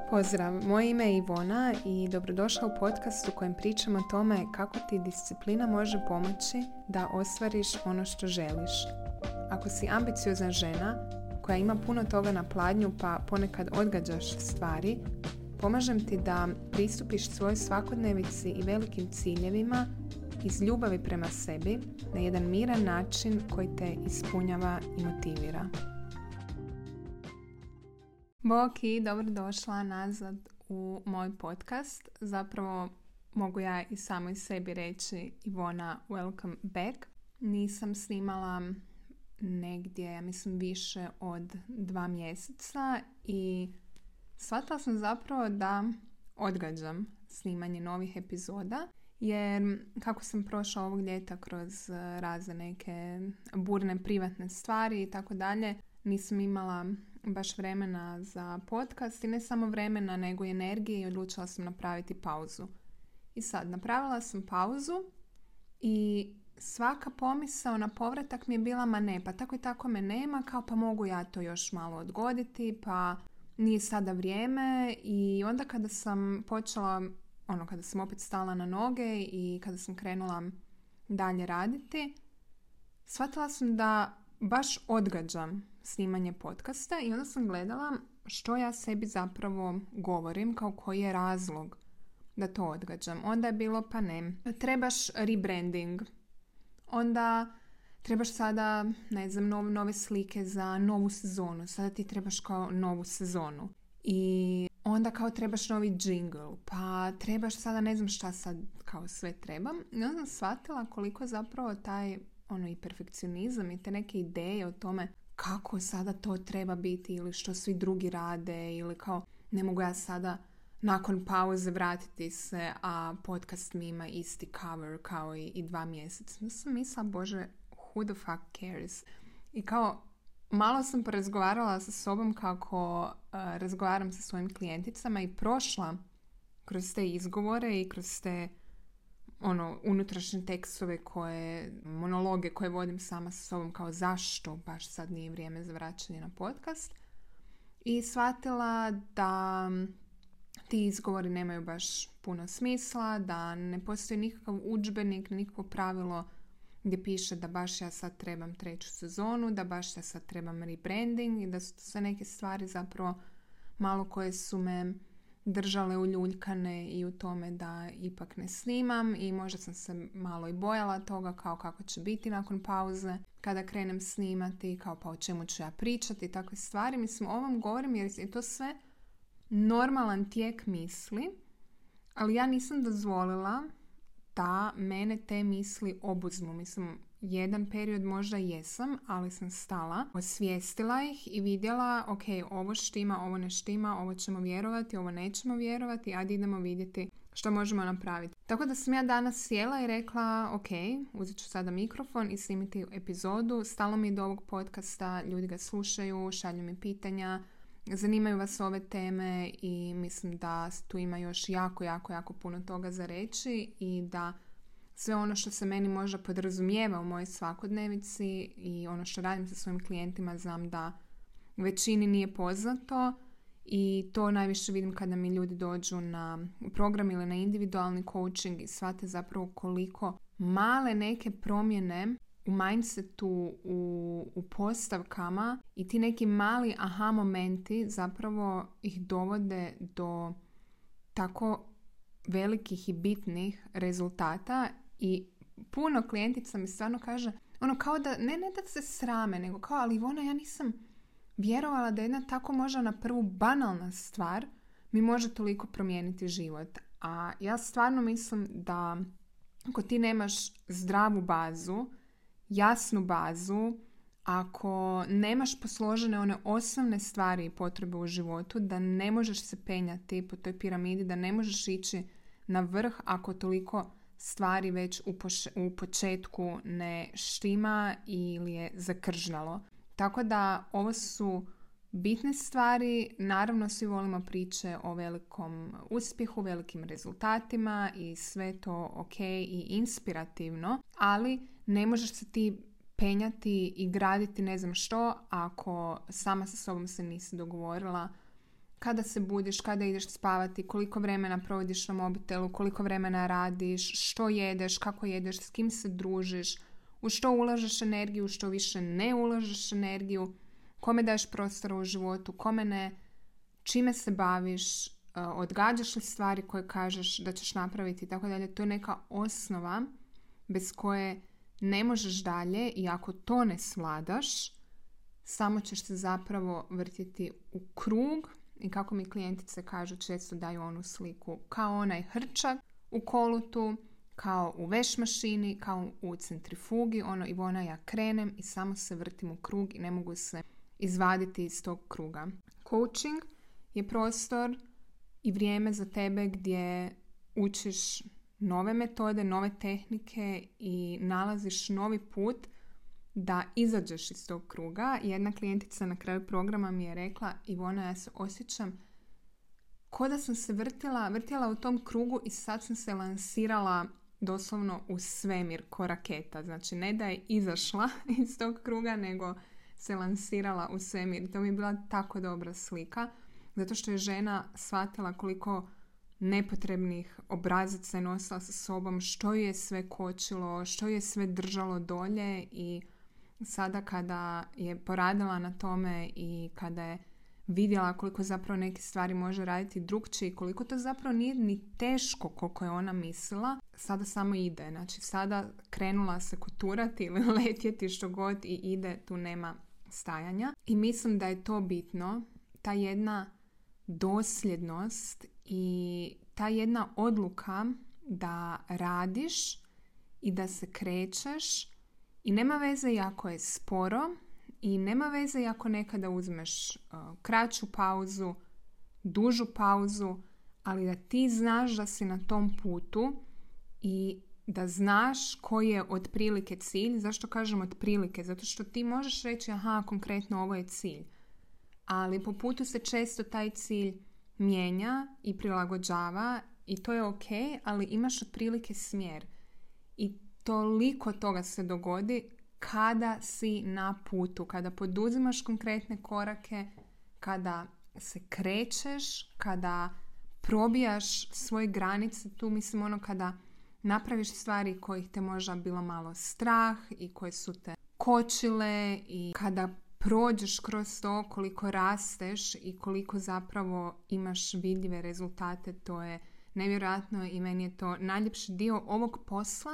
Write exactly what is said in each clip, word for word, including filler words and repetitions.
Pozdrav, moje ime je Ivona i dobrodošla u podcast u kojem pričam o tome kako ti disciplina može pomoći da ostvariš ono što želiš. Ako si ambiciozna žena koja ima puno toga na pladnju pa ponekad odgađaš stvari, pomažem ti da pristupiš svojoj svakodnevici i velikim ciljevima iz ljubavi prema sebi na jedan miran način koji te ispunjava i motivira. Bok i dobrodošla nazad u moj podcast. Zapravo mogu ja i samoj sebi reći Ivona, welcome back. Nisam snimala negdje, ja mislim, više od dva mjeseca i shvatila sam zapravo da odgađam snimanje novih epizoda, jer kako sam prošla ovog ljeta kroz razne neke burne privatne stvari i tako dalje, nisam imala baš vremena za podcast i ne samo vremena nego i energije i odlučila sam napraviti pauzu. I sad, napravila sam pauzu i svaka pomisao na povratak mi je bila ma ne, pa tako i tako me nema, kao pa mogu ja to još malo odgoditi, pa nije sada vrijeme. I onda kada sam počela, ono kada sam opet stala na noge i kada sam krenula dalje raditi, shvatila sam da baš odgađam snimanje podcasta i onda sam gledala što ja sebi zapravo govorim, kao koji je razlog da to odgađam. Onda je bilo pa ne, trebaš rebranding, onda trebaš sada, ne znam, nove, nove slike za novu sezonu, sada ti trebaš kao novu sezonu i onda kao trebaš novi jingle, pa trebaš sada ne znam šta sad kao sve trebam. I onda sam shvatila koliko zapravo taj ono i perfekcionizam i te neke ideje o tome kako sada to treba biti ili što svi drugi rade ili kao ne mogu ja sada nakon pauze vratiti se, a podcast mi ima isti cover kao i, i dva mjeseca. Ja sam mislila, bože, who the fuck cares? I kao malo sam porazgovarala sa sobom kako uh, razgovaram sa svojim klijenticama i prošla kroz te izgovore i kroz te ono, unutrašnje tekstove koje, monologe koje vodim sama sa sobom, kao zašto baš sad nije vrijeme za vraćanje na podcast. I shvatila da ti izgovori nemaju baš puno smisla, da ne postoji nikakav udžbenik, nikakvo pravilo gdje piše da baš ja sad trebam treću sezonu, da baš ja sad trebam rebranding i da su to sve neke stvari zapravo malo koje su me držale uljuljkane i u tome da ipak ne snimam i možda sam se malo i bojala toga kao kako će biti nakon pauze kada krenem snimati, kao pa o čemu ću ja pričati i takve stvari. Mislim, o ovom govorim jer je to sve normalan tijek misli, ali ja nisam dozvolila da mene te misli obuzmu. Mislim, jedan period možda jesam, ali sam stala, osvijestila ih i vidjela, ok, ovo štima, ovo ne štima, ovo ćemo vjerovati, ovo nećemo vjerovati, ajde idemo vidjeti što možemo napraviti. Tako da sam ja danas sjela i rekla, ok, uzet ću sada mikrofon i snimiti epizodu. Stalo mi do ovog podcasta, ljudi ga slušaju, šalju mi pitanja, zanimaju vas ove teme i mislim da tu ima još jako, jako, jako puno toga za reći i da sve ono što se meni možda podrazumijeva u mojoj svakodnevici i ono što radim sa svojim klijentima znam da većini nije poznato i to najviše vidim kada mi ljudi dođu na program ili na individualni coaching i shvate zapravo koliko male neke promjene u mindsetu, u, u postavkama i ti neki mali aha momenti zapravo ih dovode do tako velikih i bitnih rezultata. I puno klijentica mi stvarno kaže, ono kao da, ne, ne da se srame, nego kao, ali Ivona, ja nisam vjerovala da jedna tako možda na prvu banalna stvar mi može toliko promijeniti život. A ja stvarno mislim da ako ti nemaš zdravu bazu, jasnu bazu, ako nemaš posložene one osnovne stvari i potrebe u životu, da ne možeš se penjati po toj piramidi, da ne možeš ići na vrh ako toliko stvari već u, poš- u početku ne štima ili je zakržnalo. Tako da ovo su bitne stvari. Naravno svi volimo priče o velikom uspjehu, velikim rezultatima i sve to ok i inspirativno, ali ne možeš se ti penjati i graditi ne znam što ako sama sa sobom se nisi dogovorila kada se budiš, kada ideš spavati, koliko vremena provodiš na mobitelu, koliko vremena radiš, što jedeš, kako jedeš, s kim se družiš, u što ulažeš energiju, u što više ne ulažeš energiju, kome daješ prostora u životu, kome ne, čime se baviš, odgađaš li stvari koje kažeš da ćeš napraviti i tako dalje. To je neka osnova bez koje ne možeš dalje i ako to ne svladaš, samo ćeš se zapravo vrtiti u krug i kako mi klijentice kažu, često daju onu sliku kao onaj hrčak u kolutu, kao u veš mašini, kao u centrifugi, ono Ivona ja krenem i samo se vrtim u krug i ne mogu se izvaditi iz tog kruga. Coaching je prostor i vrijeme za tebe gdje učiš nove metode, nove tehnike i nalaziš novi put da izađeš iz tog kruga. Jedna klijentica na kraju programa mi je rekla, Ivona, ja se osjećam ko da sam se vrtila, vrtila u tom krugu i sad sam se lansirala doslovno u svemir ko raketa. Znači ne da je izašla iz tog kruga, nego se lansirala u svemir. To mi je bila tako dobra slika, zato što je žena shvatila koliko nepotrebnih obrazaca je nosila sa sobom, što ju je sve kočilo, što ju je sve držalo dolje i sada kada je poradila na tome i kada je vidjela koliko zapravo neke stvari može raditi drugčije i koliko to zapravo nije ni teško koliko je ona mislila, sada samo ide. Znači sada krenula se koturati ili letjeti što god i ide, tu nema stajanja. I mislim da je to bitno, ta jedna dosljednost i ta jedna odluka da radiš i da se krećeš i nema veze i ako je sporo i nema veze i ako nekada uzmeš uh, kraću pauzu, dužu pauzu, ali da ti znaš da si na tom putu i da znaš koji je otprilike cilj. Zašto kažem otprilike? Zato što ti možeš reći aha, konkretno ovo je cilj. Ali po putu se često taj cilj mijenja i prilagođava i to je ok, ali imaš otprilike smjer. I toliko toga se dogodi kada si na putu, kada poduzimaš konkretne korake, kada se krećeš, kada probijaš svoje granice, tu mislim ono kada napraviš stvari kojih te možda bilo malo strah i koje su te kočile i kada prođeš kroz to, koliko rasteš i koliko zapravo imaš vidljive rezultate, to je nevjerojatno i meni je to najljepši dio ovog posla,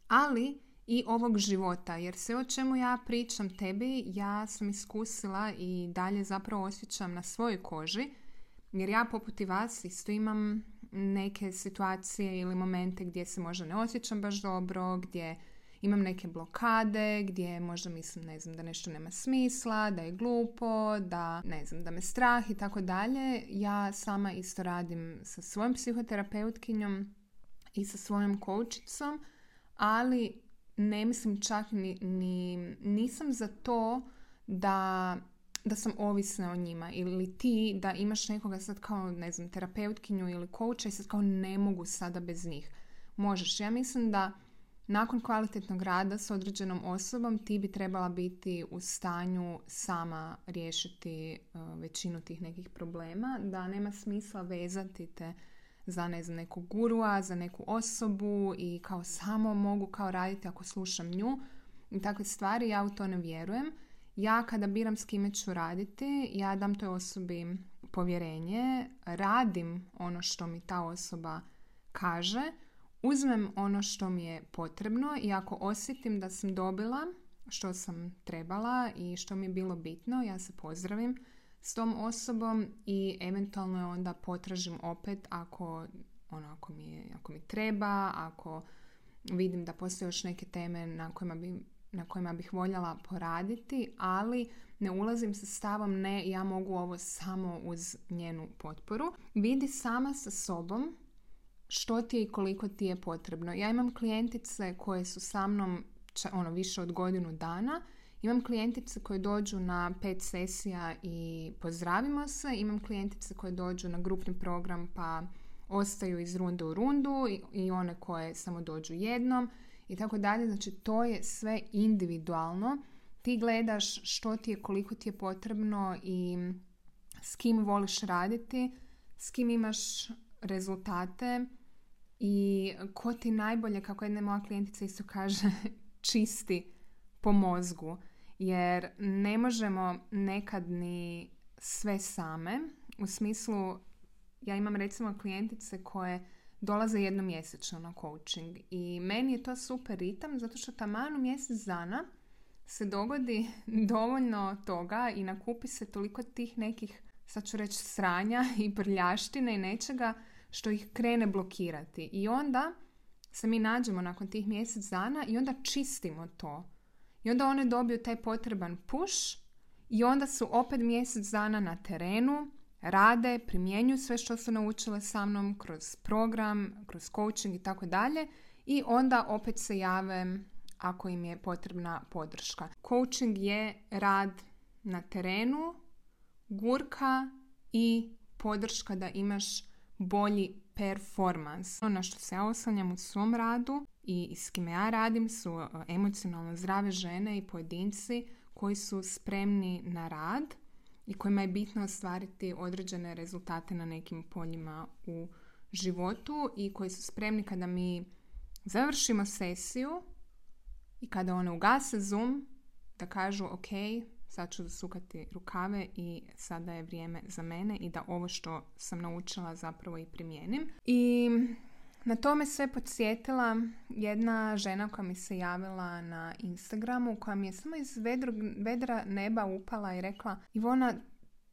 ali i ovog života. Jer sve o čemu ja pričam tebi, ja sam iskusila i dalje zapravo osjećam na svojoj koži, jer ja poput i vas isto imam neke situacije ili momente gdje se možda ne osjećam baš dobro, gdje imam neke blokade, gdje možda mislim, ne znam, da nešto nema smisla, da je glupo, da, ne znam, da me strah i tako dalje. Ja sama isto radim sa svojom psihoterapeutkinjom i sa svojom coachicom, ali ne mislim čak ni, ni nisam za to da, da sam ovisna o njima ili ti da imaš nekoga sad kao, ne znam, terapeutkinju ili coacha i sad kao ne mogu sada bez njih. Možeš. Ja mislim da nakon kvalitetnog rada s određenom osobom ti bi trebala biti u stanju sama riješiti uh, većinu tih nekih problema, da nema smisla vezati te za, ne znam, nekog gurua, za neku osobu i kao samo mogu kao raditi ako slušam nju i takve stvari. Ja u to ne vjerujem. Ja kada biram s kime ću raditi, ja dam toj osobi povjerenje, radim ono što mi ta osoba kaže, uzmem ono što mi je potrebno i ako osjetim da sam dobila što sam trebala i što mi je bilo bitno, ja se pozdravim s tom osobom i eventualno je onda potražim opet ako, ono, ako, mi, je, ako mi treba, ako vidim da postoje još neke teme na kojima, bi, na kojima bih voljela poraditi, ali ne ulazim sa stavom ne, ja mogu ovo samo uz njenu potporu. Vidi sama sa sobom što ti je i koliko ti je potrebno. Ja imam klijentice koje su sa mnom ono, više od godinu dana. Imam klijentice koje dođu na pet sesija i pozdravimo se. Imam klijentice koje dođu na grupni program pa ostaju iz runde u rundu i, i one koje samo dođu jednom i tako dalje. Znači to je sve individualno. Ti gledaš što ti je, koliko ti je potrebno i s kim voliš raditi, s kim imaš rezultate i ko ti najbolje, kako jedna moja klijentica isto kaže, čisti po mozgu. Jer ne možemo nekad ni sve same. U smislu, ja imam recimo klijentice koje dolaze jednom mjesečno na coaching i meni je to super ritam zato što taman u mjesec dana se dogodi dovoljno toga i nakupi se toliko tih nekih, sad ću reći, sranja i prljaštine i nečega što ih krene blokirati. I onda se mi nađemo nakon tih mjesec dana i onda čistimo to. I onda one dobiju taj potreban push i onda su opet mjesec dana na terenu, rade, primjenjuju sve što su naučile sa mnom kroz program, kroz coaching i tako dalje i onda opet se jave ako im je potrebna podrška. Coaching je rad na terenu, gurka i podrška da imaš bolji performans. Ono na što se ja oslanjam u svom radu i s kime ja radim su emocionalno zdrave žene i pojedinci koji su spremni na rad i kojima je bitno ostvariti određene rezultate na nekim poljima u životu i koji su spremni kada mi završimo sesiju i kada one ugase Zoom da kažu ok, sad ću zasukati rukave i sada je vrijeme za mene i da ovo što sam naučila zapravo i primijenim. I na to me sve podsjetila jedna žena koja mi se javila na Instagramu, koja mi je samo iz vedrog, vedra neba upala i rekla: Ivona,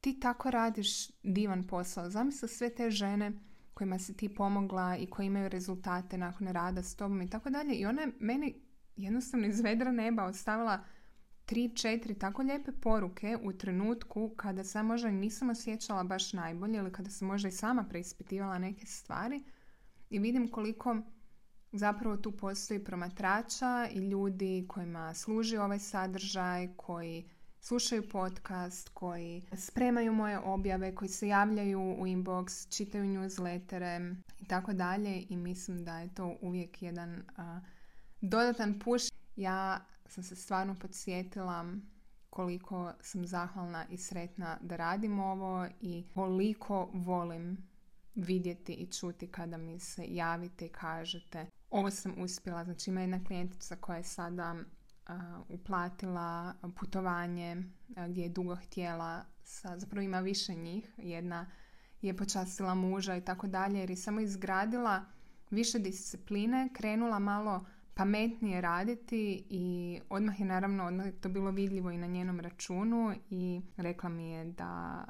ti tako radiš divan posao. Zamisli sve te žene kojima si ti pomogla i koji imaju rezultate nakon rada s tobom i tako dalje. I ona je meni jednostavno iz vedra neba ostavila tri, četiri tako lijepe poruke u trenutku kada sam možda nisam osjećala baš najbolje ili kada sam možda i sama preispitivala neke stvari. I vidim koliko zapravo tu postoji promatrača i ljudi kojima služi ovaj sadržaj, koji slušaju podcast, koji spremaju moje objave, koji se javljaju u inbox, čitaju newslettere i tako dalje. I mislim da je to uvijek jedan uh, dodatan push. Ja sam se stvarno podsjetila koliko sam zahvalna i sretna da radim ovo i koliko volim vidjeti i čuti kada mi se javite i kažete ovo sam uspjela. Znači ima jedna klijentica koja je sada uh, uplatila putovanje uh, gdje je dugo htjela, sa, zapravo ima više njih, jedna je počastila muža i tako dalje, jer je samo izgradila više discipline, krenula malo pametnije raditi i odmah je naravno odmah je to bilo vidljivo i na njenom računu i rekla mi je da,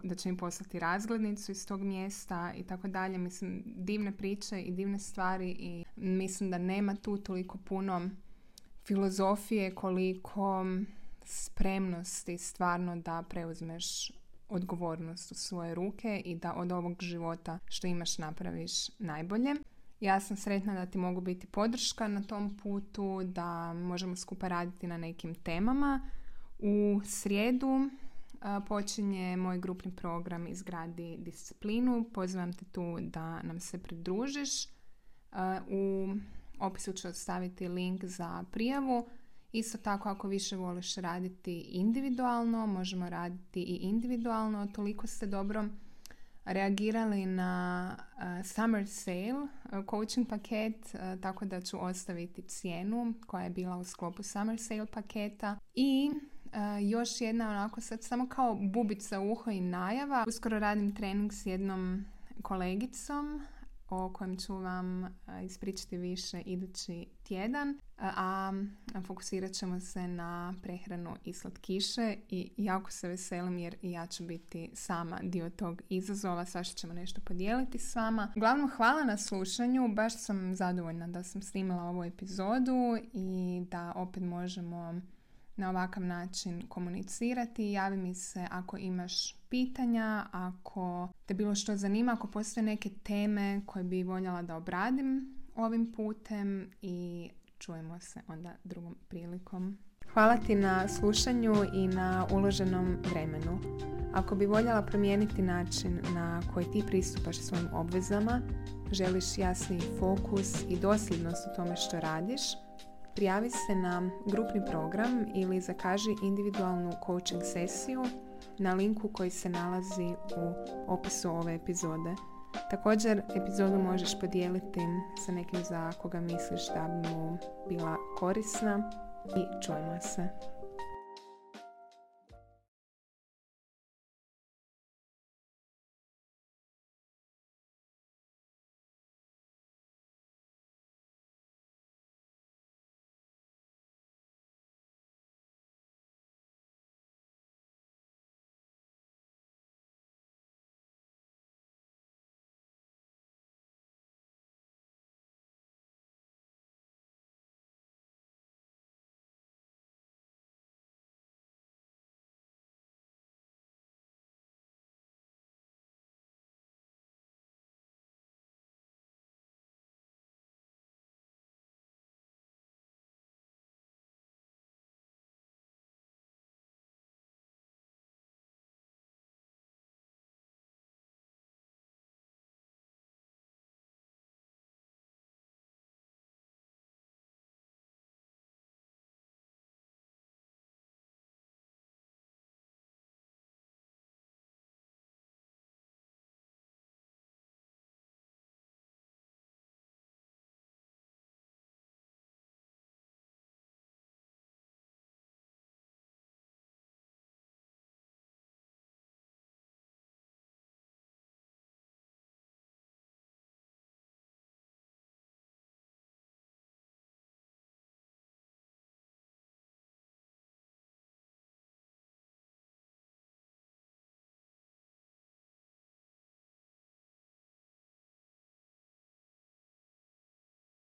da će mi poslati razglednicu iz tog mjesta i tako dalje. Mislim, divne priče i divne stvari i mislim da nema tu toliko puno filozofije koliko spremnosti stvarno da preuzmeš odgovornost u svoje ruke i da od ovog života što imaš napraviš najbolje. Ja sam sretna da ti mogu biti podrška na tom putu, da možemo skupa raditi na nekim temama. U srijedu uh, počinje moj grupni program Izgradi disciplinu. Pozivam te tu da nam se pridružiš. Uh, u opisu ću ostaviti link za prijavu. Isto tako, ako više voliš raditi individualno, možemo raditi i individualno. Toliko ste dobro reagirali na uh, Summer Sale uh, coaching paket, uh, tako da ću ostaviti cijenu koja je bila u sklopu Summer Sale paketa. I uh, još jedna onako sad samo kao bubica u uho i najava. Uskoro radim trening s jednom kolegicom o kojem ću vam uh, ispričati više idući tjedan, uh, a fokusirat ćemo se na prehranu i slatkiše i jako se veselim jer i ja ću biti sama dio tog izazova, svašta ćemo nešto podijeliti s vama. Uglavnom, hvala na slušanju, baš sam zadovoljna da sam snimila ovu epizodu i da opet možemo na ovakav način komunicirati. Javi mi se ako imaš pitanja, ako te bilo što zanima, ako postoje neke teme koje bi voljela da obradim ovim putem i čujemo se onda drugom prilikom. Hvala ti na slušanju i na uloženom vremenu. Ako bi voljela promijeniti način na koji ti pristupaš svojim obvezama, želiš jasni fokus i dosljednost u tome što radiš, prijavi se na grupni program ili zakaži individualnu coaching sesiju na linku koji se nalazi u opisu ove epizode. Također, epizodu možeš podijeliti sa nekim za koga misliš da bi mu bila korisna i čujemo se.